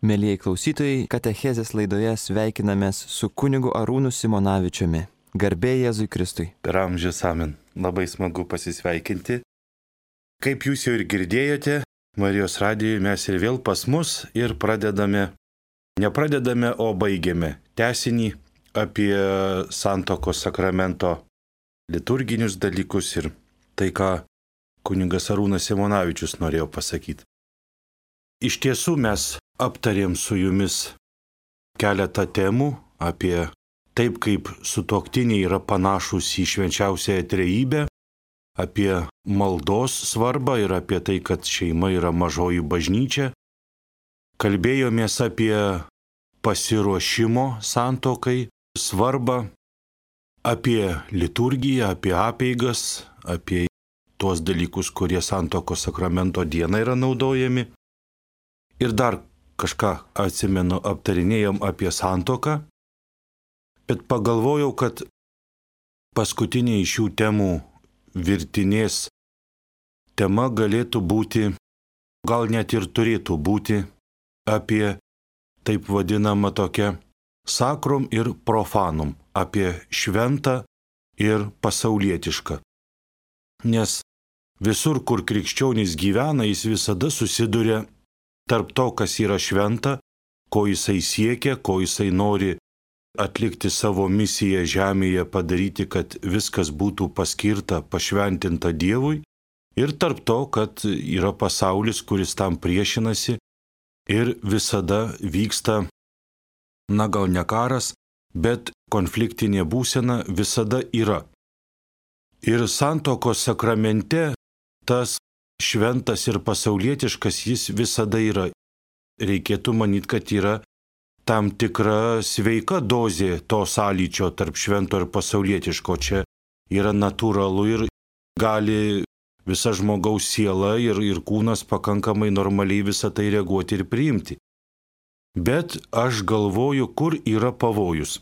Mielieji klausytojai, katechezės laidoje sveikinamės su kunigu Arūnu Simonavičiumi. Garbė Jėzui Kristui. Per amžius amen. Labai smagu pasisveikinti. Kaip jūs jau ir girdėjote, Marijos radijoje mes ir vėl pas mus ir nepradedame, o baigiame tęsinį apie santuokos sakramento liturginius dalykus ir tai, ką kunigas Arūnas Simonavičius norėjo pasakyti. Iš tiesų mes aptarėm su jumis keletą temų apie taip, kaip sutuoktiniai yra panašūs į švenčiausiąją trejybę, apie maldos svarbą ir apie tai, kad šeima yra mažoji bažnyčia. Kalbėjomės apie pasiruošimo santuokai svarbą, apie liturgiją, apie apeigas, apie tuos dalykus, kurie santuokos sakramento dieną yra naudojami. Ir dar kažką atsimenu, aptarinėjom apie santuoką, bet pagalvojau, kad paskutinė iš šių temų virtinės tema galėtų būti, gal net ir turėtų būti, apie taip vadinamą tokią sakrum ir profanum, apie šventą ir pasaulietišką. Nes visur, kur krikščionys gyvena, jis visada susiduria tarp to, kas yra šventa, ko jisai siekia, ko jisai nori atlikti savo misiją žemėje, padaryti, kad viskas būtų paskirta, pašventinta Dievui, ir tarp to, kad yra pasaulis, kuris tam priešinasi ir visada vyksta, gal ne karas, bet konfliktinė būsena visada yra. Ir santuokos sakramente tas šventas ir pasaulietiškas jis visada yra. Reikėtų manyti, kad yra tam tikra sveika dozė to sąlyčio tarp švento ir pasaulietiško. Čia yra natūralu ir gali visa žmogaus siela ir kūnas pakankamai normaliai visą tai reaguoti ir priimti. Bet aš galvoju, kur yra pavojus.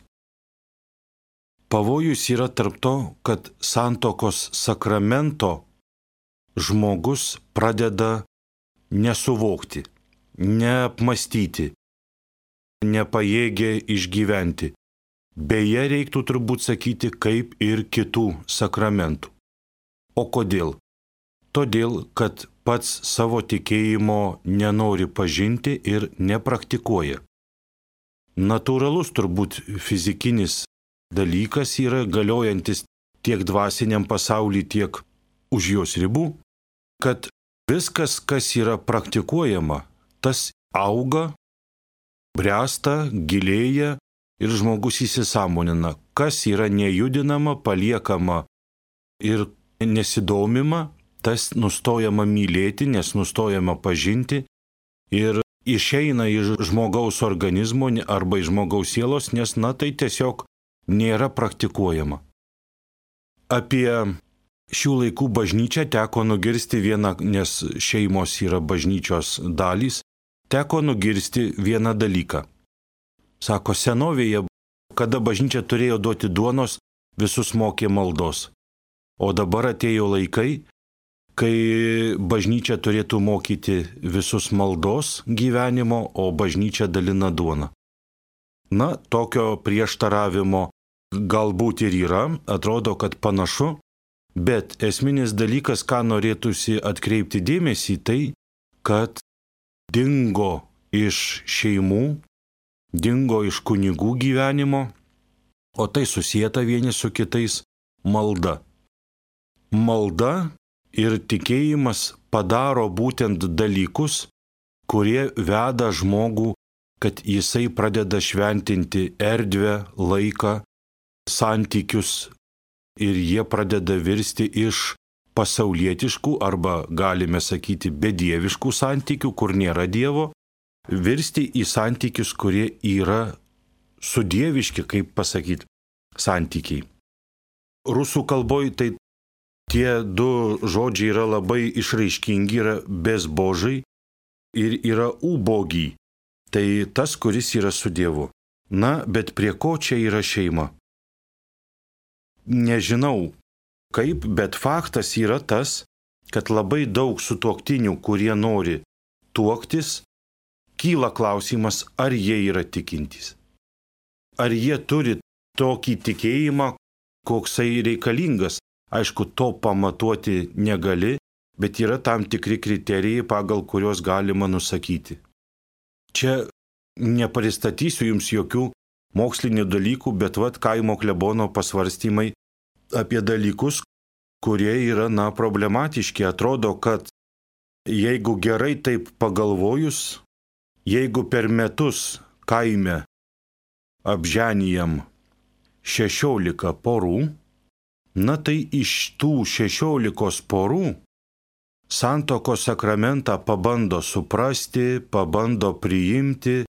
Pavojus yra tarp to, kad santuokos sakramento žmogus pradeda nesuvokti, neapmastyti, nepajėgia išgyventi. Beje, reiktų turbūt sakyti, kaip ir kitų sakramentų. O kodėl? Todėl, kad pats savo tikėjimo nenori pažinti ir nepraktikuoja. Natūralus turbūt fizikinis dalykas yra galiojantis tiek dvasiniam pasauliui, tiek už jos ribų, kad viskas, kas yra praktikuojama, tas auga, bręsta, gilėja ir žmogus įsisąmonina, kas yra nejudinama, paliekama ir nesidomima, tas nustojama mylėti, nes nustojama pažinti ir išeina iš žmogaus organizmo arba iš žmogaus sielos, nes tai tiesiog nėra praktikuojama. Apie šių laikų bažnyčią teko nugirsti vieną, nes šeimos yra bažnyčios dalys, teko nugirsti vieną dalyką. Sako, senovėje, kada bažnyčia turėjo duoti duonos, visus mokė maldos. O dabar atėjo laikai, kai bažnyčia turėtų mokyti visus maldos gyvenimo, o bažnyčia dalina duoną. Tokio prieštaravimo galbūt ir yra, atrodo, kad panašu. Bet esminis dalykas, ką norėtųsi atkreipti dėmesį, tai, kad dingo iš šeimų, dingo iš kunigų gyvenimo, o tai susieta vieni su kitais malda. Malda ir tikėjimas padaro būtent dalykus, kurie veda žmogų, kad jisai pradeda šventinti erdvę, laiką, santykius, ir jie pradeda virsti iš pasaulietiškų arba, galime sakyti, bedieviškų santykių, kur nėra Dievo, virsti į santykius, kurie yra sudieviški, kaip pasakyti, santykiai. Rusų kalboje tai tie du žodžiai yra labai išraiškingi, yra bezbožai ir yra ubogiai. Tai tas, kuris yra su Dievu. Bet prie ko čia yra šeima? Nežinau kaip, bet faktas yra tas, kad labai daug sutuoktinių, kurie nori tuoktis, kyla klausimas, ar jie yra tikintys. Ar jie turi tokį tikėjimą, koksai reikalingas. Aišku, to pamatuoti negali, bet yra tam tikri kriterijai, pagal kuriuos galima nusakyti. Čia nepristatysiu jums jokių mokslinių dalykų, bet kaimo klebono pasvarstymai apie dalykus, kurie yra, problematiški. Atrodo, kad jeigu gerai taip pagalvojus, jeigu per metus kaime apženijam 16 porų, tai iš tų 16 porų santuokos sakramentą pabando suprasti, pabando priimti,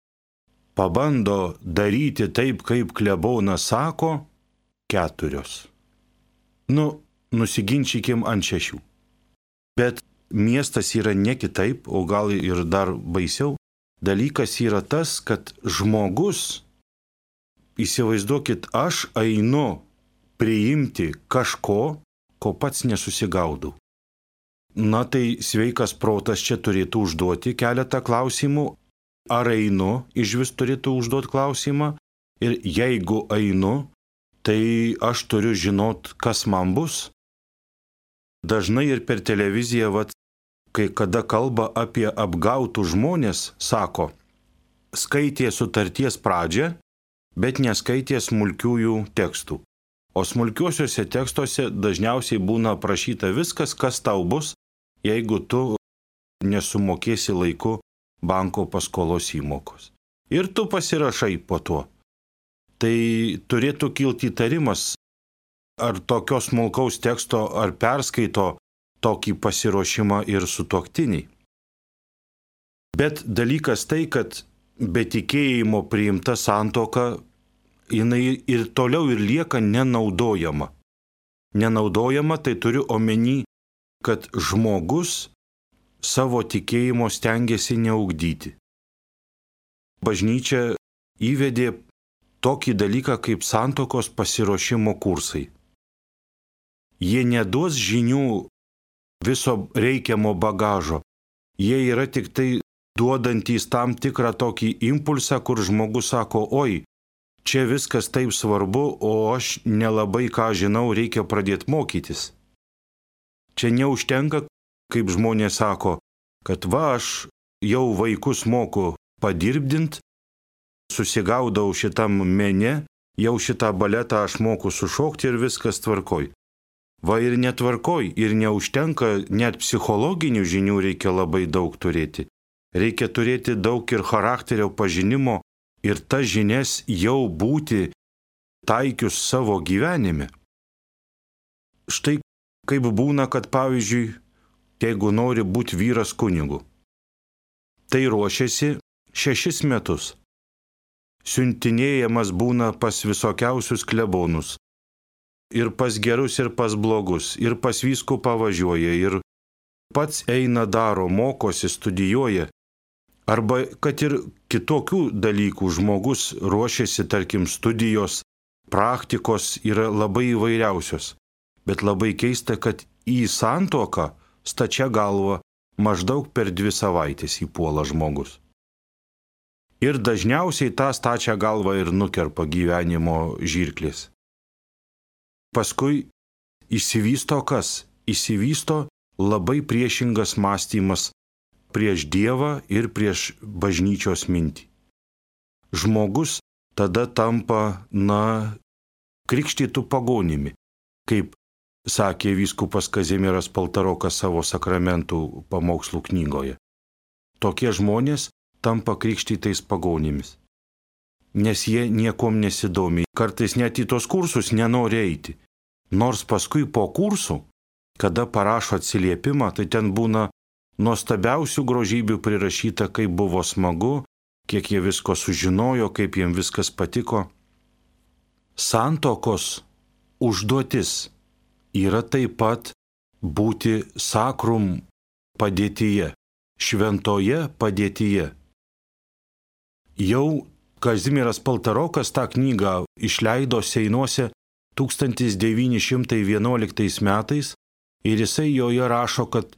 pabando daryti taip, kaip klebonas sako, 4. Nusiginčykim ant 6. Bet miestas yra ne kitaip, o gal ir dar baisiau. Dalykas yra tas, kad žmogus, įsivaizduokit, aš einu priimti kažko, ko pats nesusigaudau. Tai sveikas protas čia turėtų užduoti keletą klausimų. Ar einu, iš vis turėtų užduoti klausimą. Ir jeigu einu, tai aš turiu žinot, kas man bus. Dažnai ir per televiziją, kai kada kalba apie apgautų žmonės, sako, skaitė sutarties pradžią, bet neskaitė smulkiųjų tekstų. O smulkiuosiuose tekstuose dažniausiai būna aprašyta viskas, kas tau bus, jeigu tu nesumokėsi laiku banko paskolos įmokos. Ir tu pasirašai po to. Tai turėtų kilti įtarimas, ar tokios smulkaus teksto, ar perskaito tokį pasiruošimą ir sutuoktiniai. Bet dalykas tai, kad be tikėjimo priimta santuoka, jinai ir toliau ir lieka nenaudojama. Nenaudojama, tai turiu omeny, kad žmogus savo tikėjimo stengiasi neugdyti. Bažnyčia įvedė tokį dalyką kaip santuokos pasiruošimo kursai. Jie neduos žinių viso reikiamo bagažo. Jie yra tik tai duodantys tam tikrą tokį impulsą, kur žmogus sako, oi, čia viskas taip svarbu, o aš nelabai ką žinau, reikia pradėti mokytis. Čia neužtenka, kaip žmonės sako, kad aš jau vaikus moku padirbdint, susigaudau šitam mene, jau šitą baletą aš moku sušokti ir viskas tvarkoj. Ir netvarkoj, ir neužtenka, net psichologinių žinių reikia labai daug turėti. Reikia turėti daug ir charakterio pažinimo ir tas žinias jau būti taikius savo gyvenime. Štai kaip būna, kad pavyzdžiui, jeigu nori būti vyras kunigu, tai ruošiasi 6 metus. Siuntinėjamas būna pas visokiausius klebonus. Ir pas gerus, ir pas blogus, ir pas vyskupą važiuoja, ir pats eina daro, mokosi, studijuoja. Arba kad ir kitokių dalykų žmogus ruošiasi, tarkim, studijos, praktikos yra labai įvairiausios. Bet labai keista, kad į santuoką stačia galva maždaug per 2 savaitės įpuola žmogus. Ir dažniausiai tą stačią galvą ir nukerpa gyvenimo žirklės. Paskui išsivysto kas? Išsivysto labai priešingas mąstymas prieš Dievą ir prieš bažnyčios mintį. Žmogus tada tampa, krikštytų pagonimi, kaip sakė vyskupas Kazimieras Paltarokas savo sakramentų pamokslų knygoje. Tokie žmonės tampa krikštytais pagonimis, nes jie niekom nesidomi, kartais net į tos kursus nenori eiti. Nors paskui po kursų, kada parašo atsiliepimą, tai ten būna nuostabiausių grožybių prirašyta, kaip buvo smagu, kiek jie visko sužinojo, kaip jiems viskas patiko. Santuokos užduotis yra taip pat būti sakrum padėtyje, šventoje padėtyje. Jau Kazimieras Paltarokas tą knygą išleido Seinuose 1911 metais ir jisai joje rašo, kad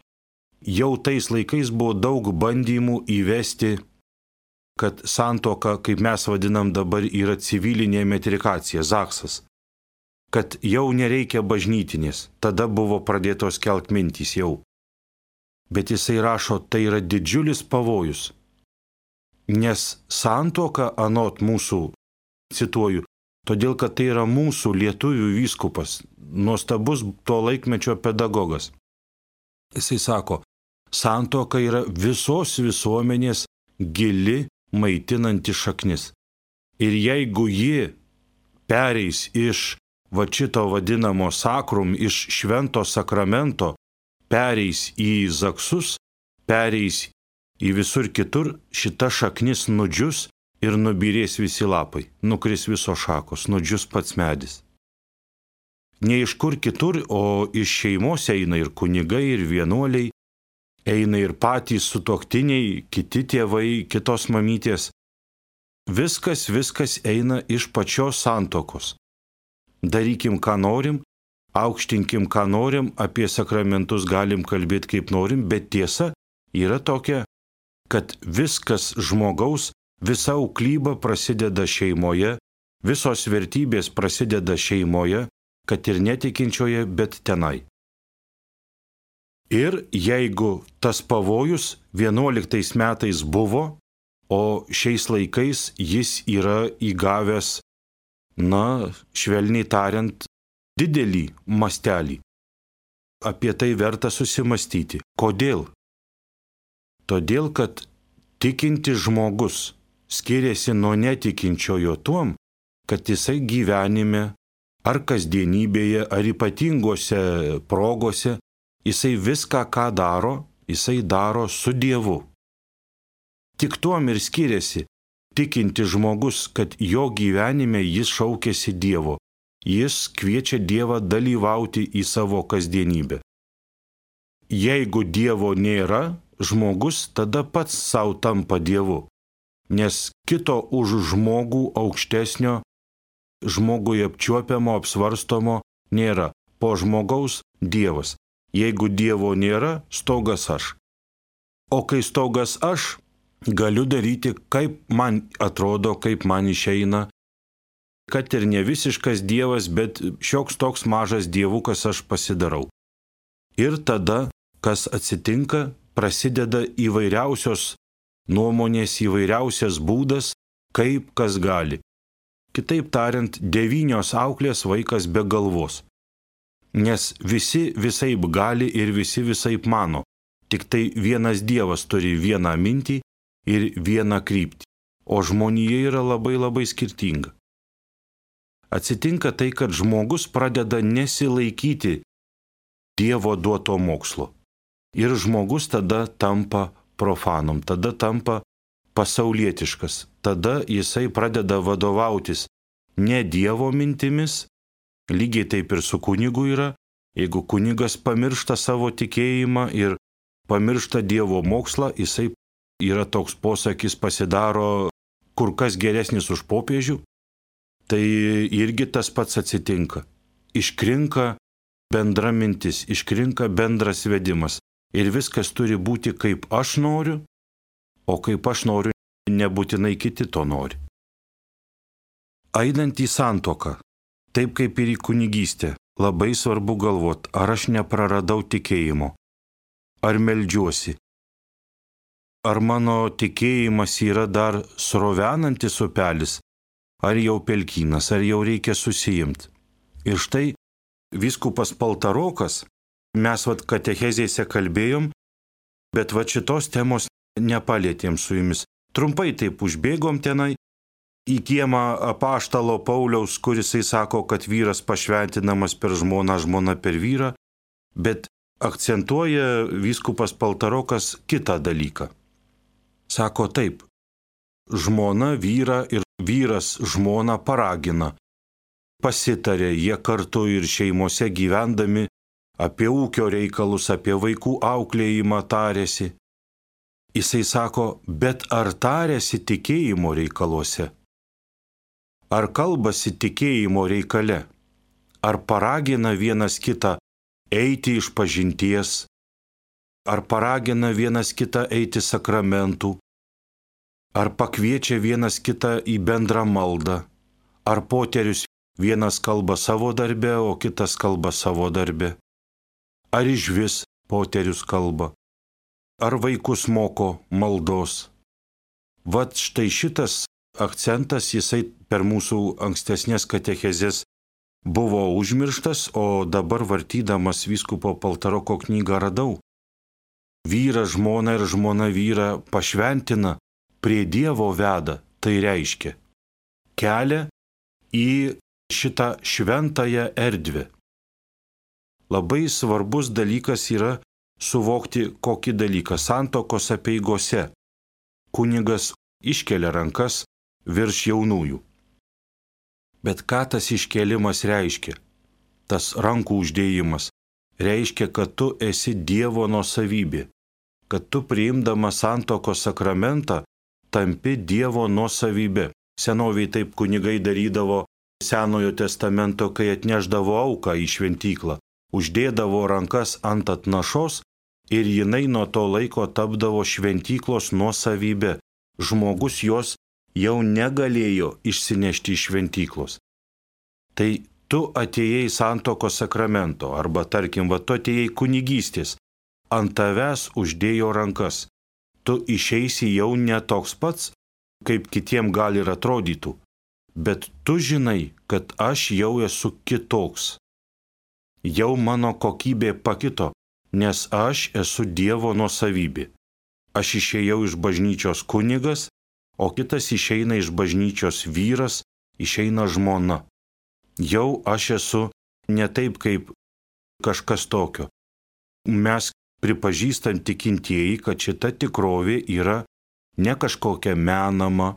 jau tais laikais buvo daug bandymų įvesti kad santuoka, kaip mes vadinam dabar, yra civilinė metrikacija, zaksas. Kad jau nereikia bažnytinės, tada buvo pradėtos kelt mintys jau. Bet jisai rašo, tai yra didžiulis pavojus. Nes santuoka anot mūsų, cituoju, todėl kad tai yra mūsų lietuvių vyskupas, nuostabus to laikmečio pedagogas. Jisai sako, santuoka yra visos visuomenės gili maitinanti šaknis. Ir jeigu ji pereis iš šito vadinamo sakrum, iš švento sakramento, pereis į zaksus, pereis į visur kitur, šita šaknis nudžius ir nubyrės visi lapai, nukris visos šakos, nudžius pats medis. Ne iš kur kitur, o iš šeimos eina ir kunigai, ir vienuoliai, eina ir patys sutuoktiniai, kiti tėvai, kitos mamytės. Viskas eina iš pačios santuokos. Darykim, ką norim, aukštinkim, ką norim, apie sakramentus galim kalbėti kaip norim, bet tiesa yra tokia, kad viskas žmogaus, visa auklyba prasideda šeimoje, visos vertybės prasideda šeimoje, kad ir netikinčioje, bet tenai. Ir jeigu tas pavojus 11 metais buvo, o šiais laikais jis yra įgavęs, švelniai tariant, didelį mastelį. Apie tai verta susimastyti. Kodėl? Todėl, kad tikintis žmogus skiriasi nuo netikinčiojo tuom, kad jisai gyvenime, ar kasdienybėje, ar ypatingose progose, jisai viską, ką daro, jisai daro su Dievu. Tik tuom ir skiriasi tikintis žmogus, kad jo gyvenime jis šaukiasi Dievo. Jis kviečia Dievą dalyvauti į savo kasdienybę. Jeigu Dievo nėra, žmogus tada pats savo tampa Dievu, nes kito už žmogų aukštesnio, žmogui apčiuopiamo, apsvarstomo nėra. Po žmogaus Dievas. Jeigu Dievo nėra, stogas aš. O kai stogas aš, galiu daryti, kaip man atrodo, kaip man išeina, kad ir ne visiškas Dievas, bet šioks toks mažas dievukas aš pasidarau. Ir tada, kas atsitinka, prasideda įvairiausios nuomonės, įvairiausias būdas, kaip kas gali. Kitaip tariant, 9 auklės vaikas be galvos. Nes visi visaip gali ir visi visaip mano. Tik tai vienas Dievas turi vieną mintį ir vieną kryptį. O žmonija yra labai skirtinga. Atsitinka tai, kad žmogus pradeda nesilaikyti Dievo duoto mokslo. Ir žmogus tada tampa profanum, tada tampa pasaulietiškas. Tada jisai pradeda vadovautis ne Dievo mintimis, lygiai taip ir su kunigu yra. Jeigu kunigas pamiršta savo tikėjimą ir pamiršta Dievo mokslą, jisai yra toks posakis, pasidaro kur kas geresnis už popiežių, tai irgi tas pats atsitinka. Iškrinka bendra mintis, iškrinka bendras vedimas. Ir viskas turi būti kaip aš noriu, o kaip aš noriu, nebūtinai kiti to nori. Einant į santuoką, taip kaip ir į kunigystę, labai svarbu galvoti, ar aš nepraradau tikėjimo, ar meldžiuosi, ar mano tikėjimas yra dar srovenantis upelis, ar jau pelkynas, ar jau reikia susijimti. Ir štai vyskupas Paltarokas, mes katechezėse kalbėjom, bet šitos temos nepalėtėm su jumis. Trumpai taip užbėgom tenai į kiemą apaštalo Pauliaus, kuris sako, kad vyras pašventinamas per žmoną, žmona per vyrą, bet akcentuoja vyskupas Paltarokas kitą dalyką. Sako taip, žmona vyrą ir vyras žmoną paragina. Pasitarė jie kartu ir šeimose gyvendami, apie ūkio reikalus, apie vaikų auklėjimą tarėsi. Jisai sako, bet ar tarėsi tikėjimo reikaluose? Ar kalbasi tikėjimo reikale? Ar paragina vienas kitą eiti iš pažinties? Ar paragina vienas kitą eiti sakramentų? ar pakviečia vienas kitą į bendrą maldą, ar poterius vienas kalba savo darbe, o kitas kalba savo darbe, ar išvis poterius kalba, ar vaikus moko maldos. Vat štai šitas akcentas, jisai per mūsų ankstesnės katechezės buvo užmirštas, o dabar vartydamas vyskupo Paltaroko knygą radau. Vyras žmoną ir žmona vyrą pašventina, prie Dievo veda, tai reiškia kelią į šitą šventąją erdvę. Labai svarbus dalykas yra suvokti kokį dalyką. Santuokos apeigose kunigas iškelia rankas virš jaunųjų. Bet ką tas iškėlimas reiškia? Tas rankų uždėjimas reiškia, kad tu esi Dievo nuosavybė, kad tu priimdamas santuokos sakramentą tampi Dievo nuosavybė. Senoviai taip kunigai darydavo Senojo testamento, kai atneždavo auką į šventyklą, uždėdavo rankas ant atnašos ir jinai nuo to laiko tapdavo šventyklos nuosavybė. Žmogus jos jau negalėjo išsinešti iš šventyklos. Tai tu atėjai santuokos sakramento, arba tarkim, tu atėjai kunigystės, ant tavęs uždėjo rankas. Tu išeisi jau ne toks pats, kaip kitiem gali ir atrodytų, bet tu žinai, kad aš jau esu kitoks. Jau mano kokybė pakito, nes aš esu Dievo nuosavybė. Aš išėjau iš bažnyčios kunigas, o kitas išeina iš bažnyčios vyras, išeina žmona. Jau aš esu ne taip kaip kažkas tokio. Mes pripažįstam tikintieji, kad šita tikrovė yra ne kažkokia menama,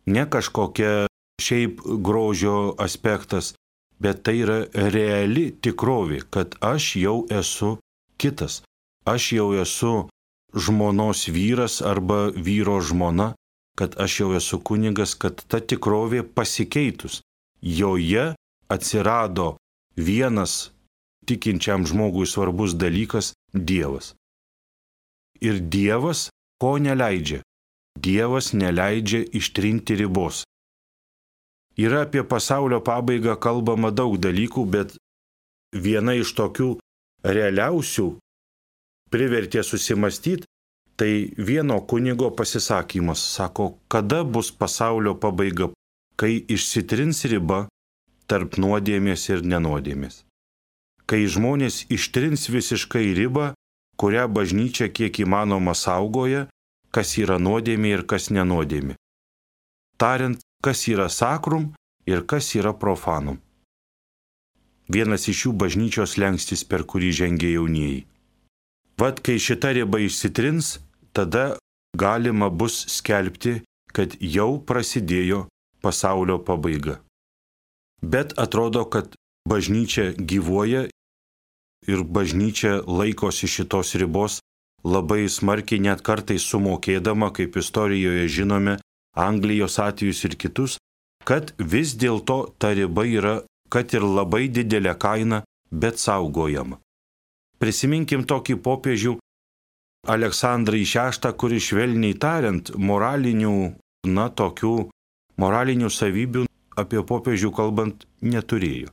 ne kažkokia šiaip grožio aspektas, bet tai yra reali tikrovė, kad aš jau esu kitas. Aš jau esu žmonos vyras arba vyro žmona, kad aš jau esu kunigas, kad ta tikrovė pasikeitus. Joje atsirado vienas tikinčiam žmogui svarbus dalykas – Dievas. Ir Dievas ko neleidžia? Dievas neleidžia ištrinti ribos. Yra apie pasaulio pabaigą kalbama daug dalykų, bet viena iš tokių realiausių privertė susimastyti, tai vieno kunigo pasisakymas. Sako, kada bus pasaulio pabaiga, kai išsitrins riba tarp nuodėmės ir nenuodėmės. Kai žmonės ištrins visiškai ribą, kurią bažnyčia kiek įmanoma saugoja, kas yra nuodėmė ir kas nenuodėmė. Tariant, kas yra sakrum ir kas yra profanum. Vienas iš jų bažnyčios slenkstis, per kurį žengia jaunieji. Vat kai šita riba išsitrins, tada galima bus skelbti, kad jau prasidėjo pasaulio pabaiga. Bet atrodo, kad bažnyčia gyvuoja ir bažnyčia laikosi šitos ribos labai smarkiai, net kartais sumokėdama, kaip istorijoje žinome, Anglijos atvejus ir kitus, kad vis dėlto ta riba yra, kad ir labai didelė kaina, bet saugojama. Prisiminkim tokį popiežių Aleksandrą VI, kuris švelniai tariant moralinių savybių apie popiežių kalbant neturėjo.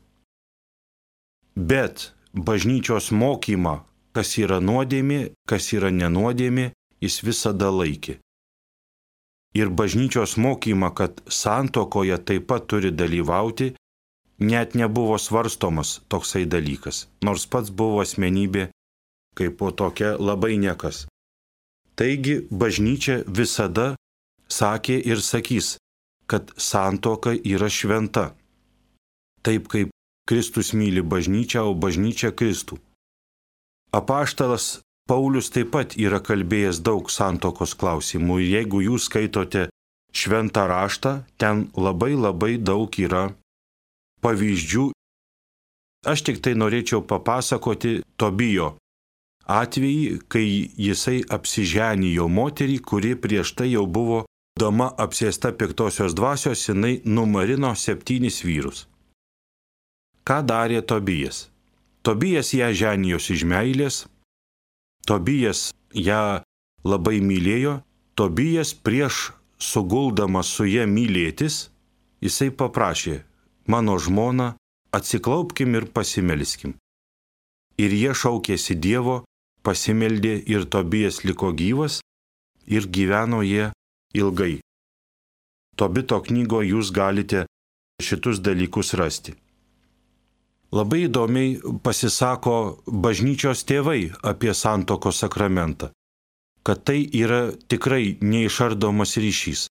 Bet bažnyčios mokymą, kas yra nuodėmė, kas yra nenuodėmė, jis visada laikė. Ir bažnyčios mokymą, kad santuokoje taip pat turi dalyvauti, net nebuvo svarstomas toksai dalykas, nors pats buvo asmenybė kaip po tokia labai niekas. Taigi bažnyčia visada sakė ir sakys, kad santuoka yra šventa. Taip kaip Kristus myli bažnyčią, o bažnyčia Kristų. Apaštalas Paulius taip pat yra kalbėjęs daug santuokos klausimų. Jeigu jūs skaitote šventą raštą, ten labai daug yra pavyzdžių. Aš tik tai norėčiau papasakoti Tobijo atvejį, kai jisai apsiženijo moterį, kuri prieš tai jau buvo dama apsėsta piktosios dvasios, jinai numarino 7 vyrus. Ką darė Tobijas? Tobijas ją ženijosi iš meilės, Tobijas ją labai mylėjo, Tobijas prieš suguldamas su ja mylėtis, jisai paprašė: mano žmona, atsiklaupkim ir pasimelskim. Ir jie šaukėsi Dievo, pasimeldė ir Tobijas liko gyvas ir gyveno jie ilgai. Tobito knygoje jūs galite šitus dalykus rasti. Labai įdomiai pasisako bažnyčios tėvai apie santuokos sakramentą, kad tai yra tikrai neišardomas ryšys.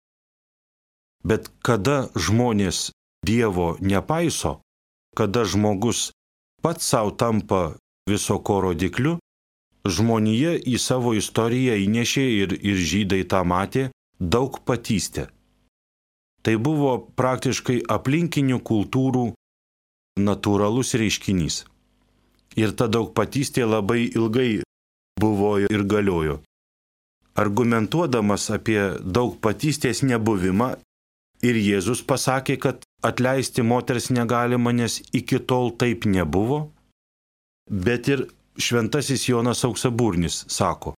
Bet kada žmonės Dievo nepaiso, kada žmogus pats savo tampa viso ko rodikliu, žmonija į savo istoriją įnešė ir žydai tą matė daugpatystę. Tai buvo praktiškai aplinkinių kultūrų natūralus reiškinys. Ir ta daugpatystė labai ilgai buvo ir galiojo. Argumentuodamas apie daugpatystės nebuvimą, ir Jėzus pasakė, kad atleisti moters negalima, nes iki tol taip nebuvo, bet ir šventasis Jonas Auksaburnis sako: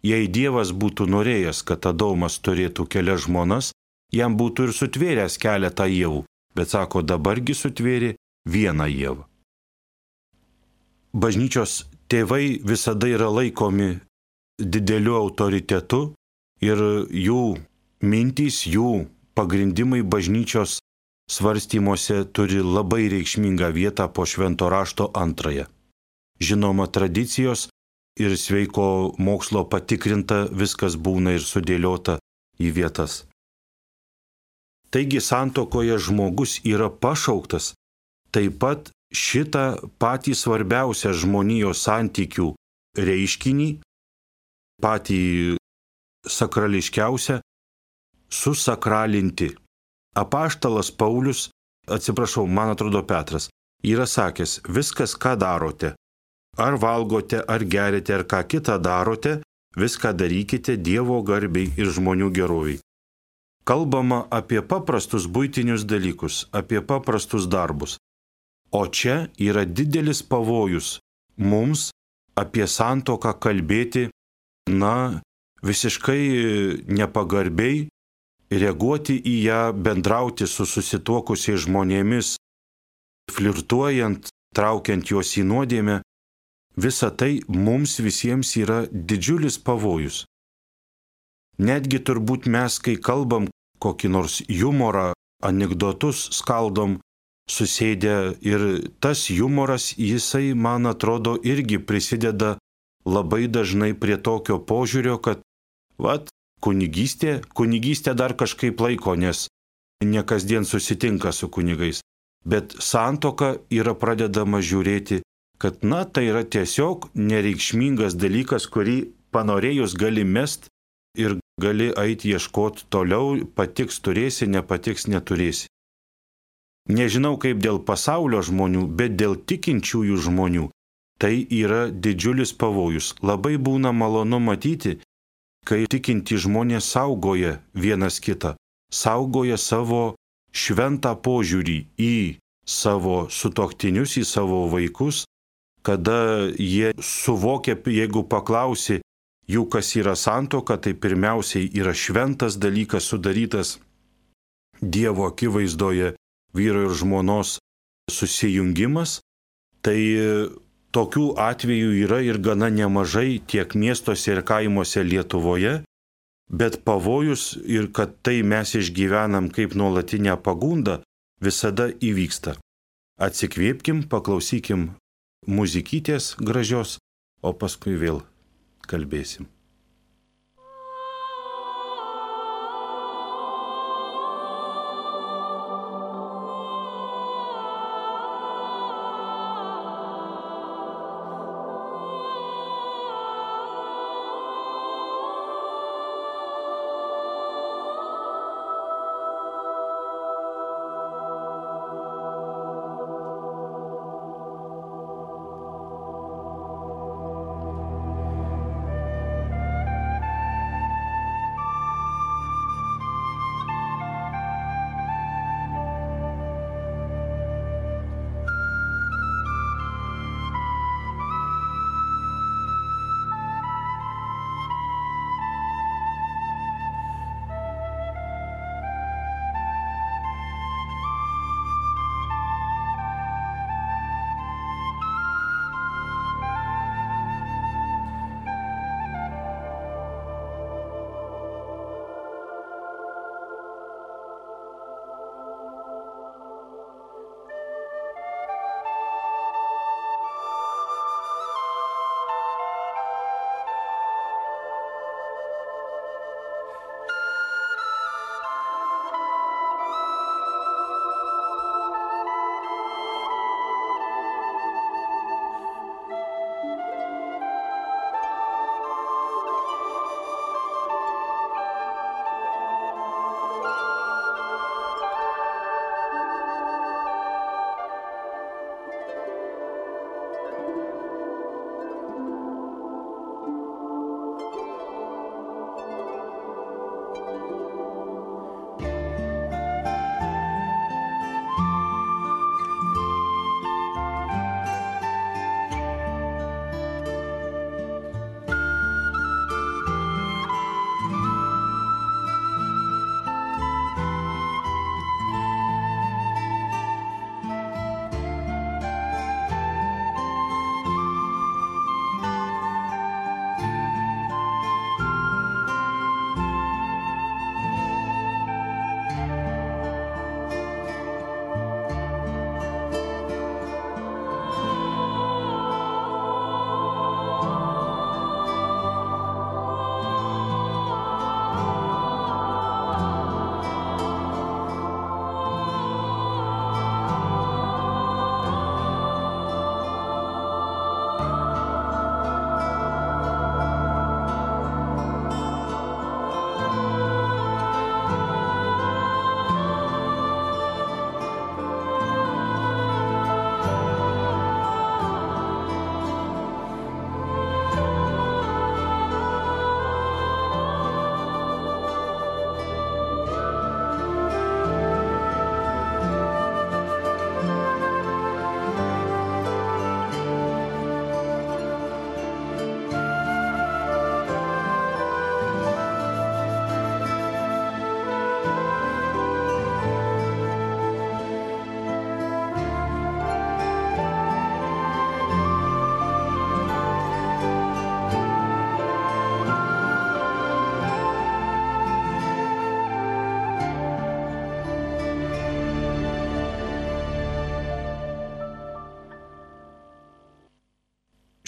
jei Dievas būtų norėjęs, kad Adomas turėtų kelias žmonas, jam būtų ir sutvėręs keletą ievų, bet sako, dabargi sutvėrė vieną ievą. Bažnyčios tėvai visada yra laikomi dideliu autoritetu ir jų mintys, jų pagrindimai bažnyčios svarstymuose turi labai reikšmingą vietą po švento rašto antrąją. Žinoma, tradicijos ir sveiko mokslo patikrinta viskas būna ir sudėliota į vietas. Taigi santuokoje žmogus yra pašauktas taip pat šitą patį svarbiausią žmonijos santykių reiškinį, patį sakrališkiausią, susakralinti. Apaštalas Paulius, man atrodo Petras, yra sakęs: viskas, ką darote, ar valgote, ar gerite, ar ką kitą darote, viską darykite Dievo garbei ir žmonių geroviai. Kalbama apie paprastus buitinius dalykus, apie paprastus darbus. O čia yra didelis pavojus mums apie santuoką kalbėti, visiškai nepagarbiai, reaguoti į ją, bendrauti su susituokusiais žmonėmis, flirtuojant, traukiant juos į nuodėmę. Visa tai mums visiems yra didžiulis pavojus. Netgi turbūt mes, kai kalbam kokį nors humorą, anekdotus skaldom, susėdę, ir tas humoras, jisai, man atrodo, irgi prisideda labai dažnai prie tokio požiūrio, kad kunigystė dar kažkaip laiko, nes ne kasdien susitinka su kunigais. Bet santuoka yra pradedama žiūrėti, kad tai yra tiesiog nereikšmingas dalykas, kurį panorėjus gali mest ir gali eiti ieškoti toliau, patiks turėsi, nepatiks neturėsi. Nežinau kaip dėl pasaulio žmonių, bet dėl tikinčiųjų žmonių tai yra didžiulis pavojus. Labai būna malonu matyti, kai tikinti žmonės saugoja vienas kitą, saugoja savo šventą požiūrį į savo sutuoktinius, į savo vaikus, kada jie suvokia, jeigu paklausi jų, kas yra santuoka, tai pirmiausiai yra šventas dalykas sudarytas Dievo akivaizdoje, vyro ir žmonos susijungimas. Tai tokių atvejų yra ir gana nemažai tiek miestuose ir kaimuose Lietuvoje, bet pavojus ir kad tai mes išgyvenam kaip nuolatinę pagundą, visada įvyksta. Atsikvėpkim, paklausykim muzikytės gražios, o paskui vėl kalbėsim.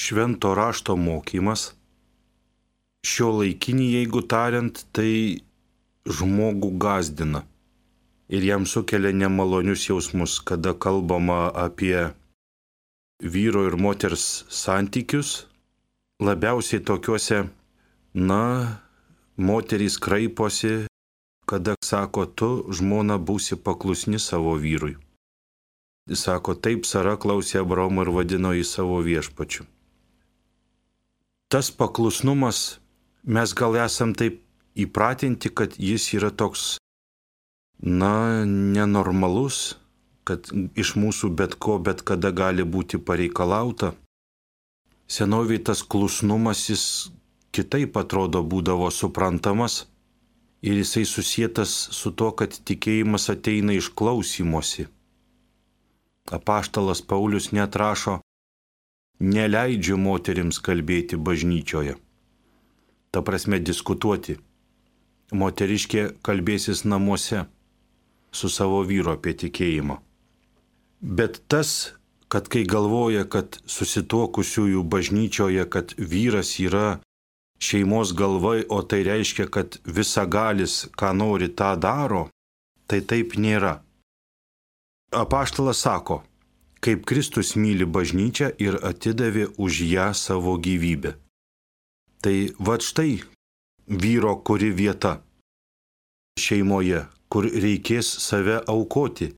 švento rašto mokymas, šio laikinį, jeigu tariant, tai žmogų gazdina ir jam sukelia nemalonius jausmus, kada kalbama apie vyro ir moters santykius, labiausiai tokiuose, moterys kraiposi, kada sako, tu žmona būsi paklusni savo vyrui. Jis sako, taip Sara klausė Abraomo ir vadino jį savo viešpačiu. Tas paklusnumas, mes gal esam taip įpratinti, kad jis yra toks, nenormalus, kad iš mūsų bet ko, bet kada gali būti pareikalauta. Senoviai tas klusnumas jis kitaip atrodo būdavo suprantamas ir jisai susietas su to, kad tikėjimas ateina iš klausymosi. Apaštalas Paulius net rašo, neleidžiu moterims kalbėti bažnyčioje. Ta prasme diskutuoti. Moteriškė kalbėsis namuose su savo vyru apie tikėjimą. Bet tas, kad kai galvoja, kad susituokusiųjų bažnyčioje, kad vyras yra šeimos galva, o tai reiškia, kad visagalis, ką nori, tą daro, tai taip nėra. Apaštalas sako, kaip Kristus myli bažnyčią ir atidavė už ją savo gyvybę. Tai vat štai vyro kuri vieta šeimoje, kur reikės save aukoti.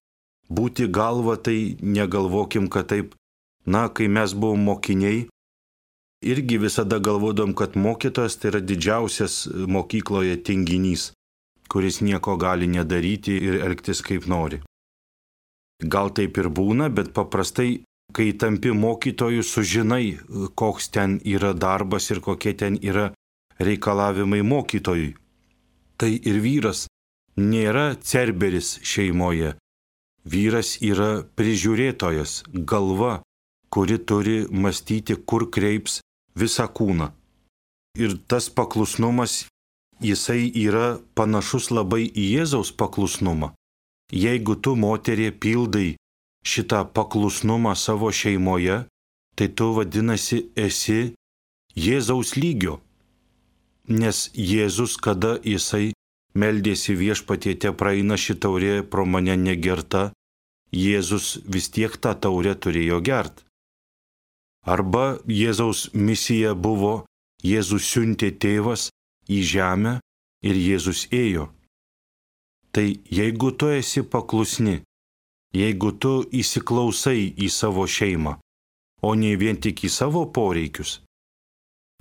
Būti galva, tai negalvokim, kad taip, kai mes buvom mokiniai, irgi visada galvodom, kad mokytojas tai yra didžiausias mokykloje tinginys, kuris nieko gali nedaryti ir elgtis kaip nori. Gal taip ir būna, bet paprastai, kai tampi mokytoju, sužinai, koks ten yra darbas ir kokie ten yra reikalavimai mokytojui. Tai ir vyras nėra cerberis šeimoje. Vyras yra prižiūrėtojas, galva, kuri turi mąstyti, kur kreips visą kūną. Ir tas paklusnumas, jisai yra panašus labai į Jėzaus paklusnumą. Jeigu tu, moterie, pildai šitą paklusnumą savo šeimoje, tai tu vadinasi esi Jėzaus lygio. Nes Jėzus, kada jisai meldėsi viešpatie, te praeina ši taurė pro mane negerta, Jėzus vis tiek tą taurę turėjo gert. Arba Jėzaus misija buvo, Jėzus siuntė tėvas į žemę ir Jėzus ėjo. Tai jeigu tu esi paklusni, jeigu tu įsiklausai į savo šeimą, o ne vien tik į savo poreikius,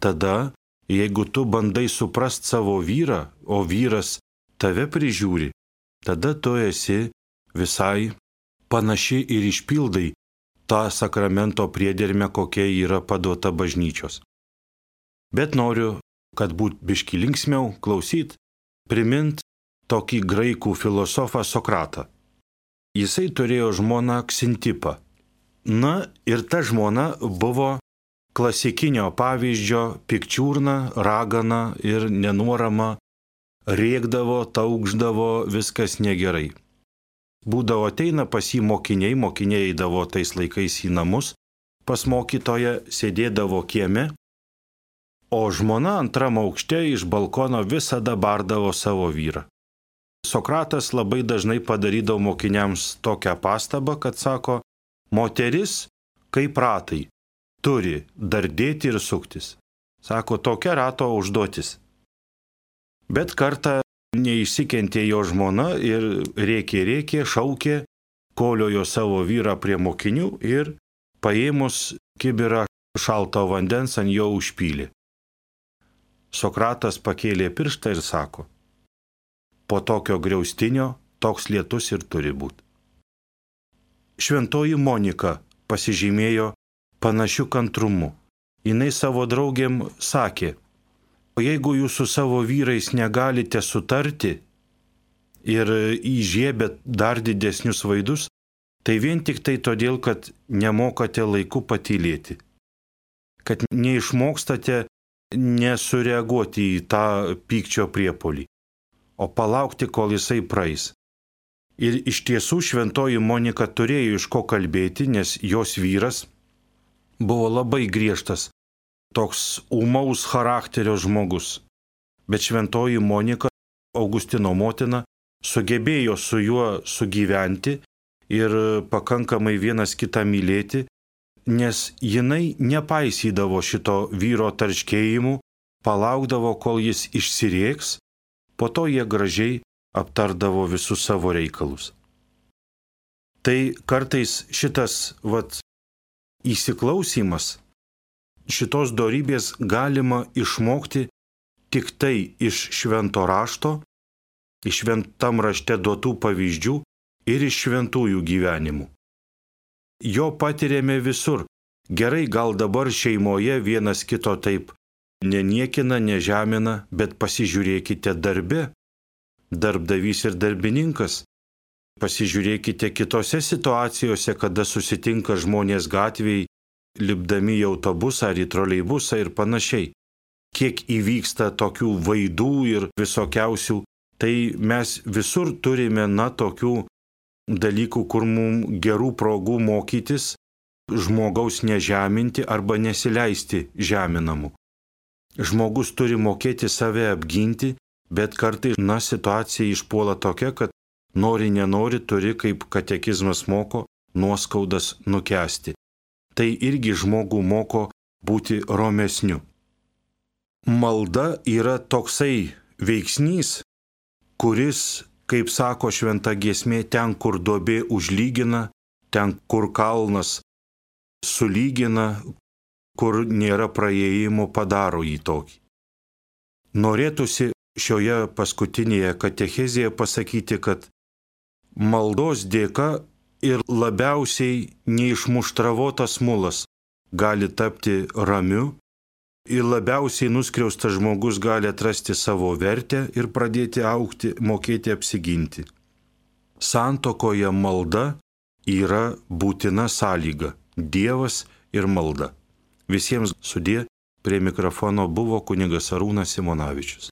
tada, jeigu tu bandai suprast savo vyrą, o vyras tave prižiūri, tada tu esi visai panaši ir išpildai tą sakramento priedermę, kokia yra paduota bažnyčios. Bet noriu, kad būt biški linksmiau, klausyt, primint tokį graikų filosofą Sokratą. Jisai turėjo žmoną Ksintipą. Ir ta žmona buvo klasikinio pavyzdžio pikčiurna, ragana ir nenuorama, rėkdavo, taukšdavo, viskas negerai. Būdavo ateina pas jį mokiniai eidavo tais laikais į namus, pas mokytoją sėdėdavo kieme, o žmona antram aukšte iš balkono visada bardavo savo vyrą. Sokratas labai dažnai padarydavo mokiniams tokią pastabą, kad sako, moteris kaip ratai, turi dardėti ir suktis. Sako, tokia rato užduotis. Bet kartą neišsikentė jo žmona ir rėkė, šaukė, koliojo savo vyrą prie mokinių ir paėmus kibirą šalto vandens ant jo užpylė. Sokratas pakėlė pirštą ir sako, po tokio griaustinio toks lietus ir turi būti. Šventoji Monika pasižymėjo panašiu kantrumu. Jis savo draugėm sakė, jeigu jūs su savo vyrais negalite sutarti ir įžiebėt dar didesnius vaidus, tai vien tik tai todėl, kad nemokate laiku patylėti. Kad neišmokstate nesureaguoti į tą pykčio priepolį, o palaukti, kol jisai praeis. Ir iš tiesų šventoji Monika turėjo iš ko kalbėti, nes jos vyras buvo labai griežtas, toks ūmaus charakterio žmogus. Bet šventoji Monika, Augustino motina, sugebėjo su juo sugyventi ir pakankamai vienas kitą mylėti, nes jinai nepaisydavo šito vyro tarškėjimų, palaukdavo, kol jis išsirėks, po to jie gražiai aptardavo visus savo reikalus. Tai kartais šitas įsiklausymas, šitos dorybės galima išmokti tik tai iš švento rašto, iš šventam rašte duotų pavyzdžių ir iš šventųjų gyvenimų. Jo patiriame visur. Gerai, gal dabar šeimoje vienas kito taip neniekina, nežemina, bet pasižiūrėkite darbe, darbdavys ir darbininkas. Pasižiūrėkite kitose situacijose, kada susitinka žmonės gatvėje, lipdami į autobusą ar į troleibusą ir panašiai. Kiek įvyksta tokių vaidų ir visokiausių, tai mes visur turime tokių dalykų, kur mums gerų progų mokytis, žmogaus nežeminti arba nesileisti žeminamu. Žmogus turi mokėti save apginti, bet kartais situacija išpuola tokia, kad nori nenori turi, kaip katekizmas moko, nuoskaudas nukęsti. Tai irgi žmogų moko būti romesniu. Malda yra toksai veiksnys, kuris, kaip sako šventa giesmė, ten, kur duobė užlygina, ten, kur kalnas sulygina, kur nėra praėjimo, padaro jį tokį. Norėtųsi šioje paskutinėje katechezėje pasakyti, kad maldos dėka ir labiausiai neišmuštravotas mulas gali tapti ramiu ir labiausiai nuskriaustas žmogus gali atrasti savo vertę ir pradėti augti, mokėti apsiginti. Santuokoje malda yra būtina sąlyga – Dievas ir malda. Visiems sudie, prie mikrofono buvo kunigas Arūnas Simonavičius.